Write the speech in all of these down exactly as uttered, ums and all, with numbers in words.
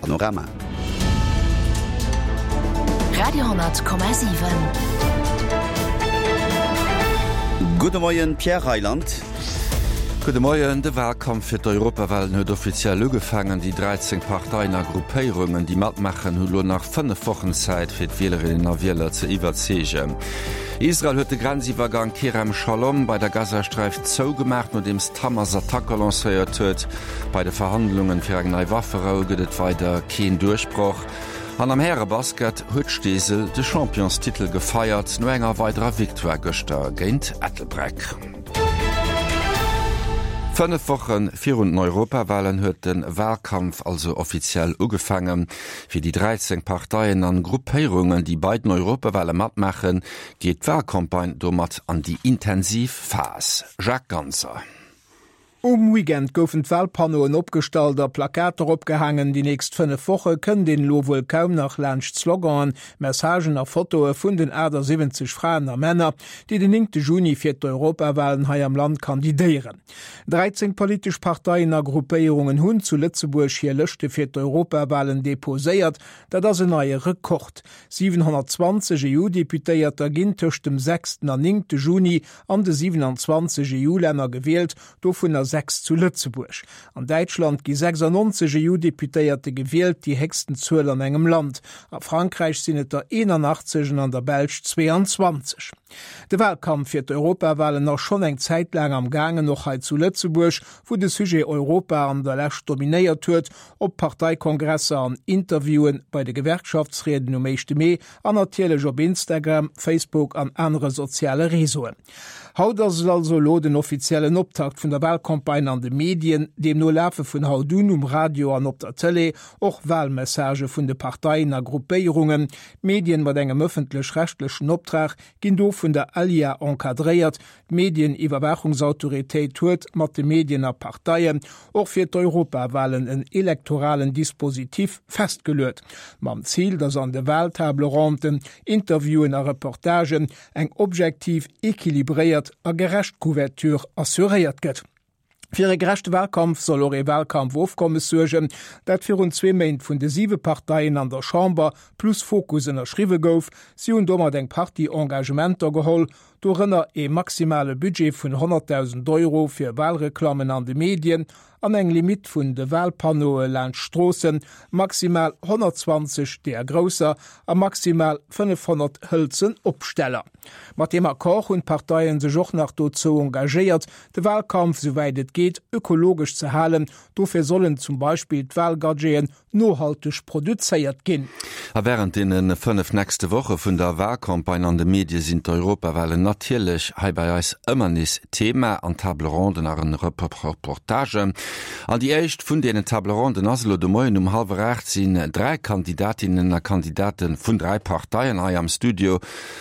Panorama. Radio hundert Komma siwen. Gudde Moien, Pierre Reyland. Gudde Moien. De Walkampf fir d'Europawalen huet offiziell ugefaangen. Déi dräizéng Parteien a Gruppéierungen, déi matmaachen, hu lo nach fënnef Wochen Zäit, fir d'Wielerinnen a Wieler ze iwwerzeegen. Israel huet de Grenziwwergang Kerem Shalom bei der Gazasträif zougemaach, nodeems d'Hamas Attacke lancéiert huet. Bei de Verhandlungen fir eng nei Wafferou gëtt et weider keen Duerchbroch. An am Härebasket huet Steesel de Championstitel gefeiert, no enger weiderer Victoire gëschter géint Ettelbréck. Fënnef Woche virun den Europawalen huet de Walkampf also offiziell ugefaangen. Fir déi dräizéng Parteien an Gruppéierungen, déi bei den Europawale matmaachen, geet d'Walcampagne domat an déi intensiv Phas. Jacques Ganser. Um Weekend goufen d'Walpannoen opgestallt a Plakater opgehaangen. Déi nächst fënnef Woche kënnt een elo wuel kaum nach laanscht Sloganen, Messagen a Fotoe vun den achtasiwwenzeg Fraen a Männer, déi den néngte Juni fir d'Europawalen hei am Land kandidéieren. dräizéng politesch Parteien a Gruppéierungen hunn zu Lëtzebuerg hir Lëschte fir d'Europawalen deposéiert. Dat ass en neie Rekord. siwenhonnertzwanzeg E U-Deputéierter ginn tëscht dem sechsten an néngte Juni an de siewenundzwanzeg E U-Länner gewielt, dovunner sechs zu Lëtzebuerg. An Däitschland gi sechsannonzeg E U-Deputéierte gewielt, déi héchsten Zuel an engem Land. A Frankräich sinn et der eenanachtzeg an an der Belsch zweeanzwanzeg. De Walkampf fir d'Europawalen ass schonn eng Zäit laang am gaangen, och hei zu Lëtzebuerg, wou de Sujet Europa an der Lescht dominéiert huet, op Parteikongresser, an Interviewen, bei de Gewerkschaftsrieden um éischte Mee an natierlech op Instagram, Facebook an anere soziale Reseauen. Haut ass et also elo den offiziellen Optakt vun der Walcampagne an de Medien. Deemno lafe vun haut un um Radio an op der Tëlee och Walmessagë vun de Parteien a Gruppéierungen. D'Medien mat engem ëffentlech-rechtlechen Optrag ginn do vun der ALIA encadréiert. D'Medieniwwerwaachungsautoritéit huet mat de Medien a Parteien och fir d'Europawalen en elektoralen Dispositif festgeluet, mam Zil, datt an de Waltable-ronden, Interviewen a Reportagen eng objektiv, equilibréiert a gerecht Couverture assuréiert gëtt. Fir e gerechte Walkampf soll och ee Walkampfofkommes suergen, dat virun zwee Méint vun de siwe Parteien an der Chamber plus Fokus ënnerschriwwe gouf. Si hunn domat eng Partie Engagementer geholl, dorënner ee maximale Budget vun honnertdausend Euro fir Walreklammen an de Medien an eng Limitt vun de Walpannoe laanscht Stroossen, maximal honnertzwanzeg deeër grousser a maximal fënnefhonnert hëlzen Opsteller. Mat deem Accord hunn d'Parteien sech och nach dozou engagéiert, de Walkampf souwäit et geet ökologesch ze halen. Dofir sollen zum Beispill d'Walgadgeten nohalteg produzéiert ginn. A wärend deene fënnef nächste Woche vun der Walcampagne an de Medie sinn d'Europawalen natierlech hei bei eis ëmmer nees Thema an Table Ronden a Reportagen. An déi éischt vun deenen Table Ronden ass elo de Moien um hallwer aacht sinn dräi Kandidatinnen a Kandidate vun dräi Parteien hei am Studio.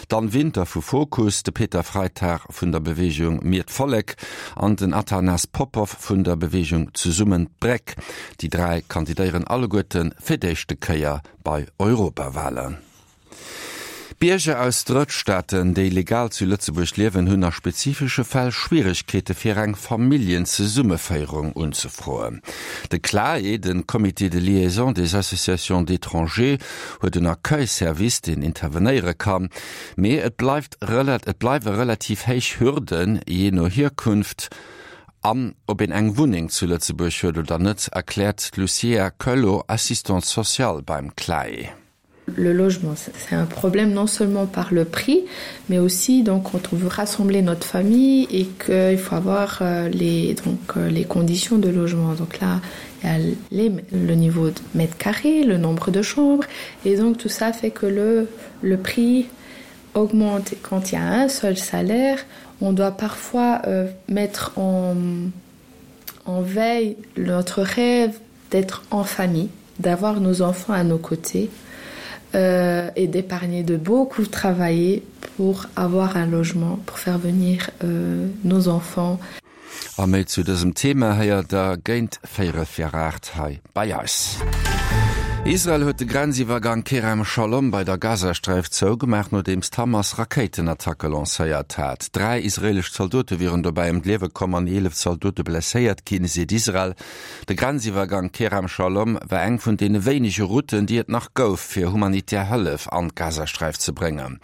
D'Anne Winter vu Fokus, de Peter Freitag vun der Beweegung Mir d'Vollek an den Athanas Popov vun der Beweegung Zesummen d'Bréck. Déi dräi kandidéieren alleguerte fir d'éischte Kéier bei Europawalen. Bierger aus Drëttstaaten, déi legal zu Lëtzebuerg liewen, hunn a spezifesche Fäll Schwieregkeete fir eng Familljenzesummeféierung unzefroen. De CLAE, de Comité de liaison des associations d'étrangers, huet en Accueil-Service, deen intervenéiere kann, mee et bleift et bleiwe relativ héich Hürden, jee no Hierkunft an ob een eng Wunneng zu Lëtzebuerg huet oder net, erkläert d'Lucia Coelho, Assistante sociale beim CLAE. Le logement, c'est un problème non seulement par le prix, mais aussi donc quand on veut rassembler notre famille et qu'il faut avoir euh, les, donc, euh, les conditions de logement. Donc là, il y a les, le niveau de mètres carrés, le nombre de chambres, et donc tout ça fait que le, le prix augmente. Quand il y a un seul salaire, on doit parfois euh, mettre en, en veille notre rêve d'être en famille, d'avoir nos enfants à nos côtés euh, et d'épargner, de beaucoup travailler pour avoir un logement, pour faire venir euh, nos enfants. A méi zu dësem Thema héiert der géint véierel vir aacht hei bei eis. Israel huet de Grenziwwergang Kerem Shalom bei der Gazasträif zougemaach, nodeems d'Hamas Rakéitenattacke lancéiert hat. Dräi israeelesch Zaldote wieren dobäi ëm d'Liewe komm an eelef Zaldote blesséiert ginn, seet Israel. De Grenziwwergang Kerem Shalom war eng vun deene wéinege Routen, déi et nach gouf, fir humanitär Hëllef an d'Gazasträif ze bréngen.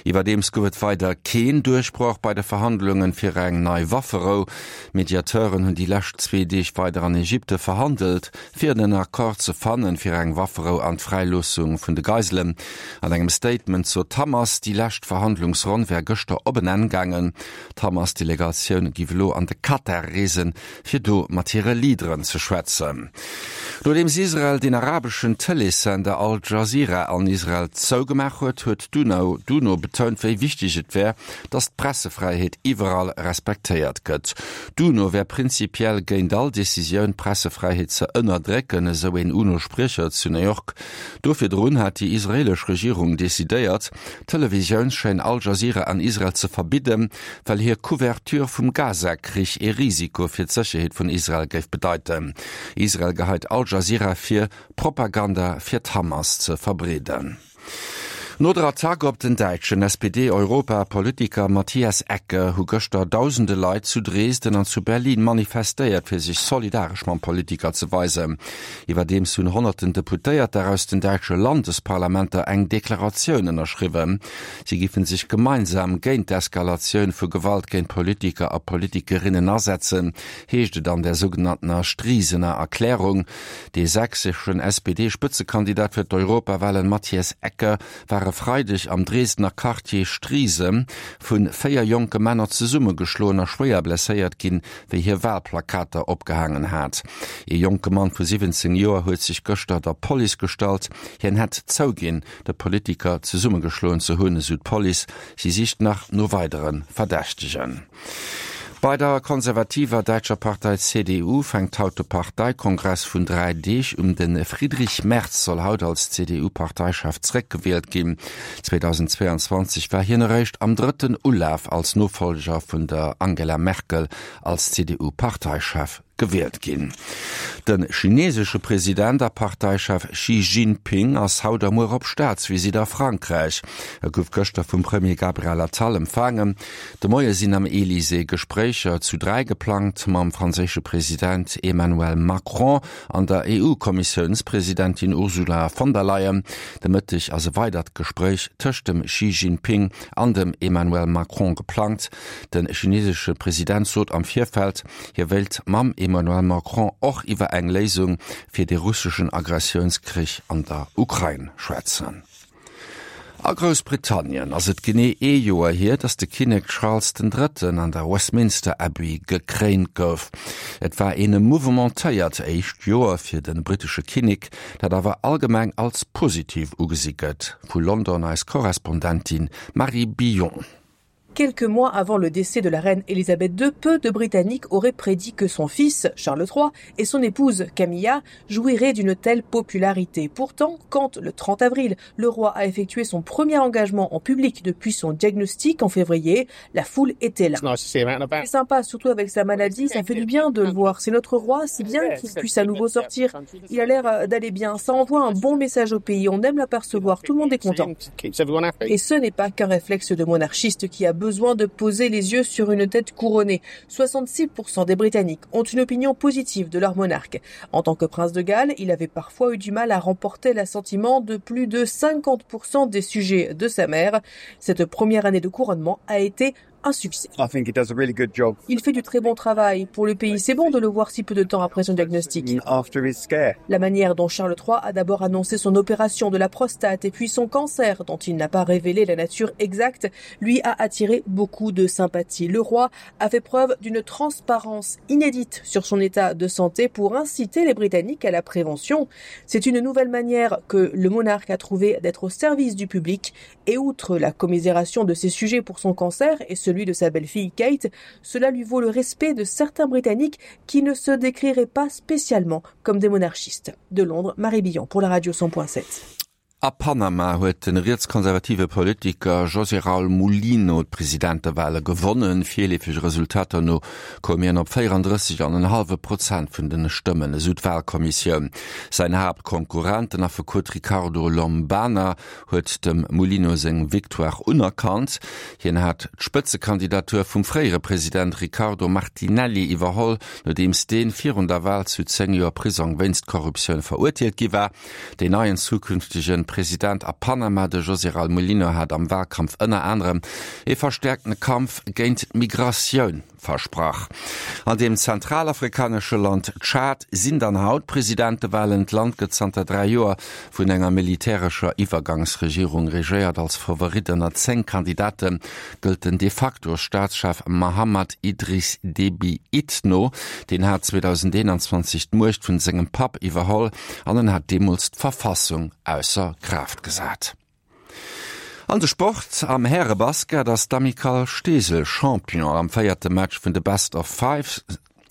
Iwwerdeems gouf et weider keen Duerchbroch bei de Verhandlunge fir eng nei Wafferou. Mediateuren hunn déi lescht zwee Deeg weider an Ägypte verhandelt, fir en Accord ze fannen, fir eng Wafferou an d'Fräiloossung vun de Geiselen. An engem Statement sot d'Hamas, déi lescht Verhandlungsronn wär gëschter op en Enn gaangen. D'Hamas-Delegatioun giff elo an de Katar reesen, fir do mat hire Leaderen ze schwätzen. Nodeems Israel den arabeschen Tëleessender Al Jazeera an Israel zougemaach huet, huet d'UNO betount, wéi wichteg et wär, datt d'Pressefräiheet iwwerall respektéiert gëtt. D'UNO wär prinzipiell géint all Decisioun, d'Pressefräiheet ze ënnerdrécken, esou een UNO-Spriecher zu New York. Do virdrun hat déi israeelesch Regierung decidéiert, d'Televisiounschaîne Al Jazeera an Israel ze verbidden, well hir Couverture vum Gaza-Krich ee Risiko fir d'Sécherheet vun Israel géif bedeiten. Israel geheit Al Jazeera vir, Propaganda fir d'Hamas ze verbreeden. No der Attack op den däitschen S P D-Europapolitiker Matthias Ecke hu gëschter dausende Leit zu Dresden an zu Berlin manifestéiert, fir sech solidaresch mam Politiker ze weisen. Iwwerdeems hunn honnerten Deputéierter aus den däitsche Landesparlamenter eng Deklaratioun ënnerschriwwen. Si giffen sech gemeinsam géint d'Eskalatioun vu Gewalt géint Politiker a Politikerinnen asetzen, heescht et an der sougenanntener Striesener Erklärung. De sächseschen S P D-Spëtzekandidat fir d'Europawahlen Matthias Ecke war e Freideg am Dresdner Quartier Striesen vu véier jonke Männer zesummegeschloen a schwéier blesséiert ginn, wéi hie Wahlplakater opgehaangen hat. Ee jonke Mann vu siwwenzéng Joer huet sech gëschter der Police gestallt. Hien hätt zouginn, de Politiker zesummegeschloen ze hunn, esou d'Police. Si sicht nach no weidere Verdächtegen. Bei der konservativer däitscher Partei C D U fänkt haut de Parteikongress vun dräi Deeg un. De Friedrich Merz soll haut als C D U-Parteichef zeréckgewielt ginn. zweitausendzweiundzwanzeg war hien eréischt am drëtten Ulaf als Nofollger vun der Angela Merkel als C D U-Parteichef gewielt ginn. De chinesesche President a Parteichef Xi Jinping ass haut a muer op Staatsvisitt a Frankräich. E gouf gëschter vum Premier Gabriel Attal empfaangen. De Moie sinn am Elysée Gespréicher zu dräi geplangt mam franséische President Emmanuel Macron an der E U-Kommissiounspresidentin Ursula von der Leyen. De Mëtteg ass e weidert Gespréich tëscht dem Xi Jinping an dem Emmanuel Macron geplangt. De chinesesche President sot am Virfeld, hie wéilt mam Emmanuel Macron och iwwer eng Léisung fir de russeschen Agressiounskrich an der Ukrain schwätzen. A Groussbritannien ass et genee ee Joer hier, datt de Kinnek Charles den Drëtten an der Westminster Abbey gekréint gouf. Et war een mouvementéiert éischt Joer fir de brittesche Kinnek, dat awer allgemeng als positiv ugesi gëtt. Vu London eis Korrespondentin Marie Billon. Quelques mois avant le décès de la reine Elisabeth deux, peu de Britanniques auraient prédit que son fils, Charles trois, et son épouse, Camilla, jouiraient d'une telle popularité. Pourtant, quand, le trente avril, le roi a effectué son premier engagement en public depuis son diagnostic en février, la foule était là. It's nice to see him out and about. C'est sympa, surtout avec sa maladie, ça fait du bien de le voir. C'est notre roi, c'est bien qu'il puisse à nouveau sortir. Il a l'air d'aller bien, ça envoie un bon message au pays, on aime l'apercevoir, tout le monde est content. Keeps everyone happy. Et ce n'est pas qu'un réflexe de monarchiste qui a besoin de poser les yeux sur une tête couronnée. soixante-six pour cent des Britanniques ont une opinion positive de leur monarque. En tant que prince de Galles, il avait parfois eu du mal à remporter l'assentiment de plus de cinquante pour cent des sujets de sa mère. Cette première année de couronnement a été un succès. I think he does a really good job. Il fait du très bon travail pour le pays. C'est bon de le voir si peu de temps après son diagnostic. After his scare. La manière dont Charles trois a d'abord annoncé son opération de la prostate et puis son cancer, dont il n'a pas révélé la nature exacte, lui a attiré beaucoup de sympathie. Le roi a fait preuve d'une transparence inédite sur son état de santé pour inciter les Britanniques à la prévention. C'est une nouvelle manière que le monarque a trouvé d'être au service du public et outre la commisération de ses sujets pour son cancer et ce celui de sa belle-fille Kate, cela lui vaut le respect de certains Britanniques qui ne se décriraient pas spécialement comme des monarchistes. De Londres, Marie Billon pour la radio cent point sept. A Panama huet de rietskonservative Politiker José Raúl Mulino d'Presidentewale gewonnen. Virleefege Resultater no koum hien op véierandrësseg an en hallwe Prozent vun de Stëmmen, esou d'Walkommissioun. Säin Haaptkonkurrent, den Affekot Ricardo Lombana, huet dem Mulino seng Victoire unerkannt. Hien hat d'Spëtzekandidatur vum fréiere President Ricardo Martinelli iwwerholl, nodeems dee virun der Wal zu zéng Joer Prisong wéinst Korruptioun verurteelt gi war. Deen neien zukünftege President a Panama, de José Raúl Mulino, hat am Wahlkampf ënner anerem ee verstäerkte Kampf géint d'Migratioun versprach. An dem zentralafrikanesche Land Tschad sinn dann haut Presidentewalen. D'Land gëtt zanter dräi Joer vun enger militärescher Iwwergangsregierung regéiert. Als Favorit ënner zéng Kandidate gëllt den De-facto-Staatschef Mahamat Idriss Déby Itno. Deen hat zweedausendeenanzwanzeg d'Muecht vun sengem Papp iwwerholl an en hat deemools d'Verfassung ausser Kraaft gesat. An de Sport, Am Härebasket ass d'Amicale Steesel Champion. Am véierte Match vun de Best of Five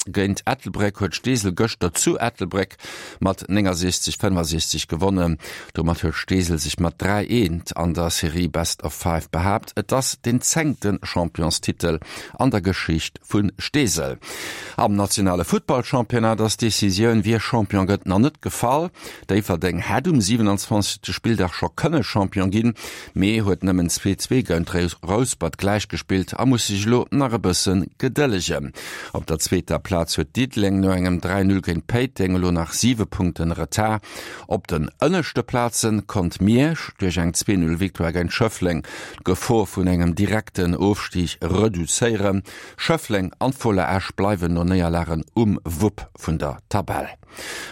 géint Ettelbréck huet Steesel gëschter zu Ettelbréck mat néngasechzeg, fënnefasechzeg gewonnen. Domat huet Steesel sech mat dräi, eent an der Serie Best of Five behaapt. Et ass den zéngte Championstitel an der Geschicht vu Steesel. Am nationale Futtballchampionnat ass d'Decisioun, wie Champion gëtt, nach net gefall. Déifferdeng hätt um siewenundzwanzegste Spilldag scho kënne Champion ginn, mee huet nëmmen zwee, zwee géint Rouspert gläichgespillt a muss sech elo nach e bësse gedëllegen. Op der zweeter Plaz huet Diddeleng no engem dräi, null géint Péiteng elo nach siwe Punkten Retard. Op den ënneschte Plaze konnt Miersch duerch eng zwee, null Victoire géint Schëffleng d'Gefor vun engem direkten Ofstig reduzéieren. Schëffleng an d'Fola Esch bleiwen no Néierlagen um Wupp vun der Tabell.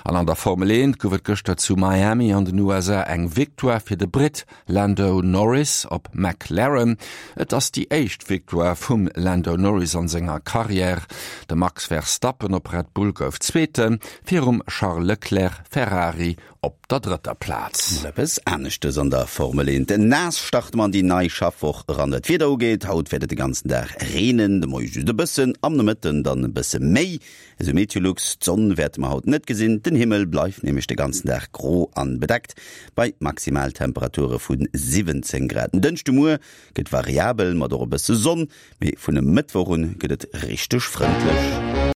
An an der Formel eent gouf et gëschter zu Miami an den U S A eng Victoire fir de Britt Lando Norris op McLaren. Et ass déi éischt Victoire vum Lando Norris an senger Karriär. De Max Verstappen op Red Bull gouf Zweeten, virum Charles Leclerc, Ferrari, op der drëtter Plaz. Mol eppes aneschtes an der Formel eent. Naass starte mer an déi nei Schaffwoch eran. Wat d'Wieder ugeet, haut wäert et de ganzen Dag reenen, de Moie just e bëssen, am Nomëtten dann e bësse méi, esou Meteolux. D'Sonn wäerte mer haut net gesinn, den Himmel bleift nämlech de ganzen Dag gro an bedeckt, bei Maximaltemperature vu siwwenzéng Grad. En Dënschdemuer gëtt variabel mat och e bësse Sonn, mee vun e Mëttwoch un gëtt et richteg frëndlech.